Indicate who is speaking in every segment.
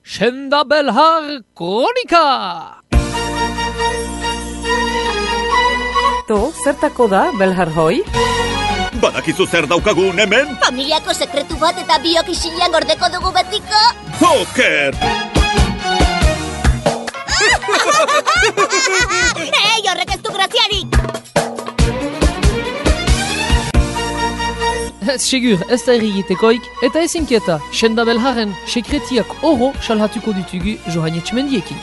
Speaker 1: Senda Belhar Kronika!
Speaker 2: To, zertako da, Belhar hoi?
Speaker 3: Badakizu zer daukagun hemen?
Speaker 4: Familiako sekretu bat eta biok isilean gordeko dugu betiko.
Speaker 3: Joker!
Speaker 4: Horrek ez du graziarik!
Speaker 1: Ez segur, ez da errigitekoik, eta ez inkieta, Senda Belharren sekretiak oro salhatuko ditugu Johan Etxemendiekin.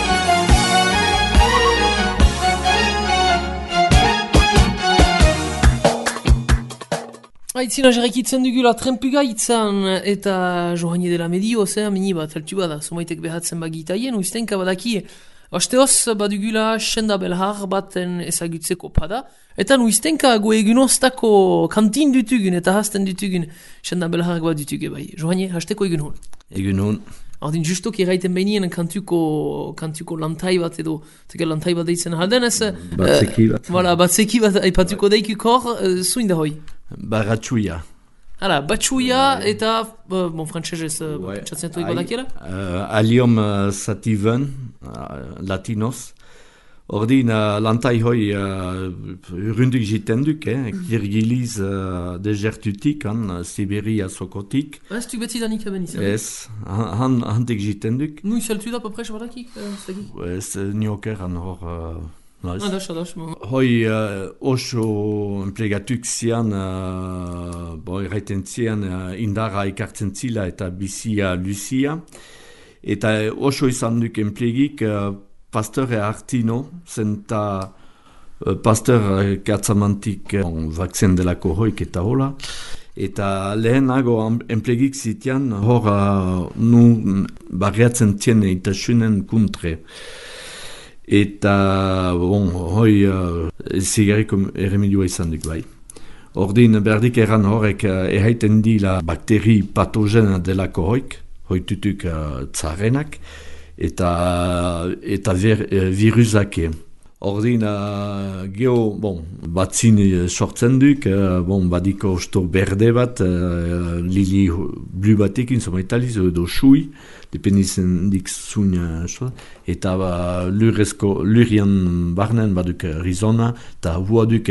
Speaker 1: Aitzina jarrakitzen dugula trenpuga itzan eta Johan dela medio, mini bat altu bada, sumaitek behatzen bagitaien, uiztenka badaki, asteoz badugula Senda Belhar baten ezagutzeko pada, eta nuiztenka goegunoztako kantin dutugun eta hasten dutugun Senda Belhar bat dutuge bai. Johan, hasteko egun hon?
Speaker 5: Egun hon.
Speaker 1: Ordin justok eraiten behinien kantuko lantai bat edo, teke lantai bat deitzen halden ez?
Speaker 5: Batzeki bat.
Speaker 1: Batzeki bat aipatuko deikuk hor, zuin da hoi?
Speaker 5: Baratxuia.
Speaker 1: Hala, batxuia eta, frantzesez, txatzen toik badakiela?
Speaker 5: Aliom sativen, latinoz. Ordin, lantai hoi urrunduk jiten duk, kirgiliz desertutik, Siberia sokotik.
Speaker 1: Ez du beti danik eben izan?
Speaker 5: Ez, handik jiten duk.
Speaker 1: Nu izaltu da paprez badakik?
Speaker 5: Ez, niokeran hor...
Speaker 1: Ados.
Speaker 5: Hoi oso enplegatuk zian, erraiten zian indarra ikartzen zila eta bizia luzia. Eta oso izan duk enplegik Pasteur Artino, zenta Pasteur katzamantik vakzen delako hoik eta hola. Eta lehenago enplegik zitian hor nu barriatzen zien eta sunen kuntre. Eta, hoi zigarriko erremedioa izan duk bai. Ordin, berdik erran horrek erraiten dila bakteri patogena delako hoik, hoitutuk tzarenak, eta virusake. Ordin, geho, batzin sortzen duk, badiko osto berde bat, lili blu batekin, somaitaliz, edo sui, dependitzen dik zuin, eta lurian barnen baduk rizona, eta hua duk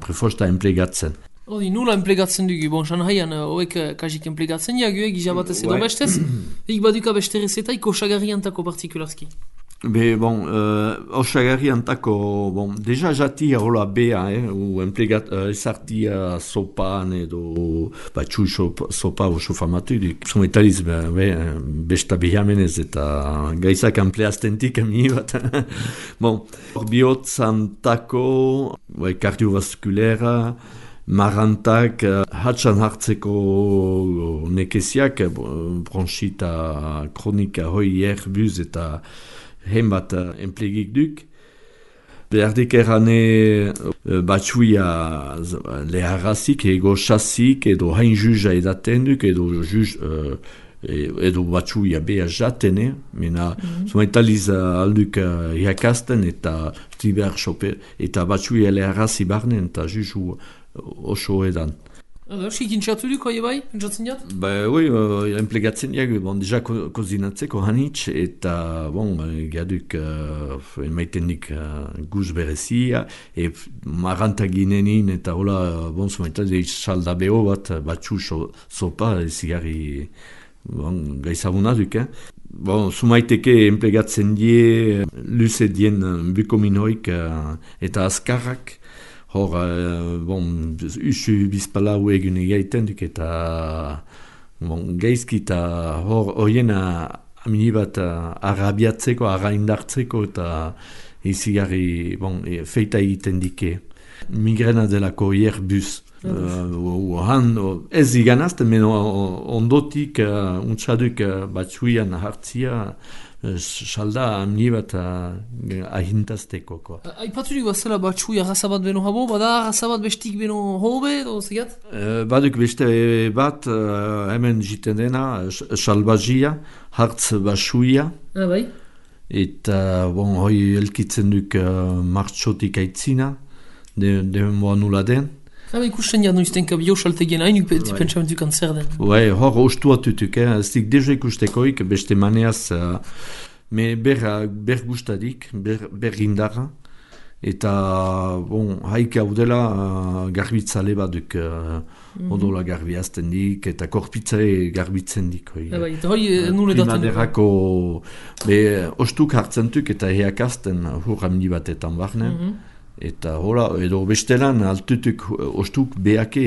Speaker 5: prefosta emplegatzen.
Speaker 1: Ordin, nula emplegatzen dugu, Shanghaian hoek kajik emplegatzen jagu, gizabatez edo bestez, ik baduka besterez eta osagarriantako partikularski.
Speaker 5: Osagarriantako, deja jatia hola bea, ezartia sopan edo batxu sopa oso famatu duk. Sometaliz, besta behamenez eta gaizak ampleaztentik amini bat. Biotzantako, kardiovaskulera, marantak, hatxan hartzeko nekeziak, bronxita kronika hoi erbuz eta henbat enplegik duk. Berdik errane batxuia leharrazik, ego chassik, edo hain juja edaten duk, edo batxuia beha jatene, mena zumaitaliz alduk iakasten eta tiber xope, eta batxuia leharrazi barnen, eta juju oso edan.
Speaker 1: Sikin txatu duk, hoi bai, jatzen jat?
Speaker 5: Emplegatzen jak, deja kozinatzeko hanitz, eta, gaduk emaitenik guz berezia, marantaginenin, eta hola, zumaitaliz salda beho bat, batxu sopa, zigarri, gaizabuna duk, Zumaiteke enplegatzen die, luze dien bukominoik eta azkarrak, hor, usu bizpalau egun egaiten duk eta gaizki eta hor horiena aminibat arabiatzeko, araindartzeko eta izigarri feita egiten dike. Migrena delako hierbuz. Ez iganazten, ondotik untsaduk batzuian hartzia salda amni bat ahintazteko.
Speaker 1: Aipaturik bazela batzuia razabat beno habo, bada razabat bestik beno hobe, edo zegat?
Speaker 5: Baduk beste bat, hemen jiten dena, salbazia, hartz batzuia.
Speaker 1: Bai.
Speaker 5: Eta, hoi elkitzen duk martxotik aitzina, de moa nula den.
Speaker 1: ikusten ja noiztenka biosaltegien hain pentsamentuk zer den.
Speaker 5: Bai, hor ostuatutuk, ez dik deja ikustekoik, beste maneaz, me ber gustadik, ber indarra, eta, bon, haik hau dela garbitzale baduk, odola garbiazten dik, eta korpitzare garbitzen dik.
Speaker 1: Eta hoi nule daten.
Speaker 5: Primaderako, ostuk hartzentuk eta heakazten hur hamdi batetan barne. Eta hola, edo bestelan altutuk ostuk beake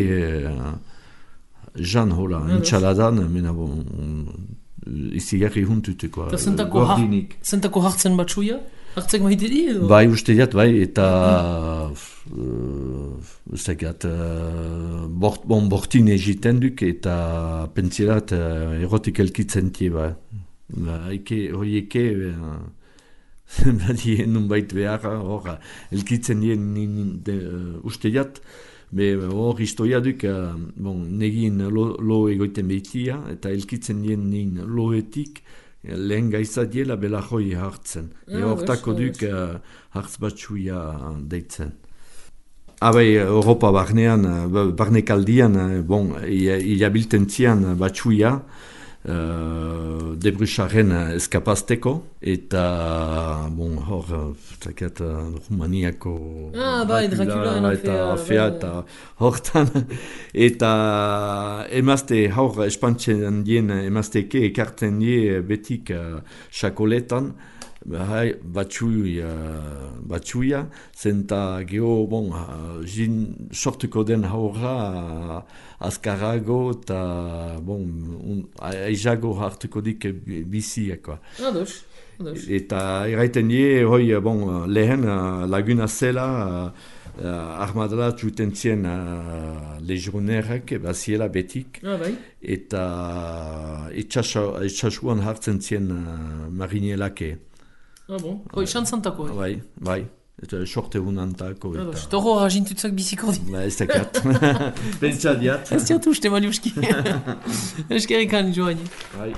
Speaker 5: jan hola, intxaladan, mena bon, izigarri huntutuko.
Speaker 1: Eta zentako hartzen batxuia? Hartzek maite di edo?
Speaker 5: Bai, uste diat, bai, eta ustekat, bortin egiten duk eta pentsirat erotik elkitzen tie, bai. Horieke, badien nun bait behar, hor, elkitzen dien uste diat, hor historia duk, negin lo egoiten behitia, eta elkitzen dien nin loetik, lehen gaiza diela bela hoi hartzen. Hortako duk hartz batxuia deitzen. Abai, Europa barnean, barnekaldian, ilabilten zian batxuia, debrusaren eskapazteko, eta hor, Rumaniako
Speaker 1: Dracula
Speaker 5: eta afea, eta hortan, eta emazte, hor espantzen dien emazteke ekartzen die betik xakoletan, batxuia, zenta geho, jin sortuko den haurra azkarago eta aizago hartuko dik biziakoa. Eta erraiten die, lehen laguna zela, armadala txuten zien legionerrak, baziela betik, eta etxasuan hartzen zien marinelake.
Speaker 1: Hoi, xantzantako.
Speaker 5: Bai, eta sorte hunantako.
Speaker 1: Eta hor agintutzak biziko di.
Speaker 5: Ez dakat. Pentsa diat.
Speaker 1: Ez diat uste, Maliuski. Eskerrik joan.
Speaker 5: Bai.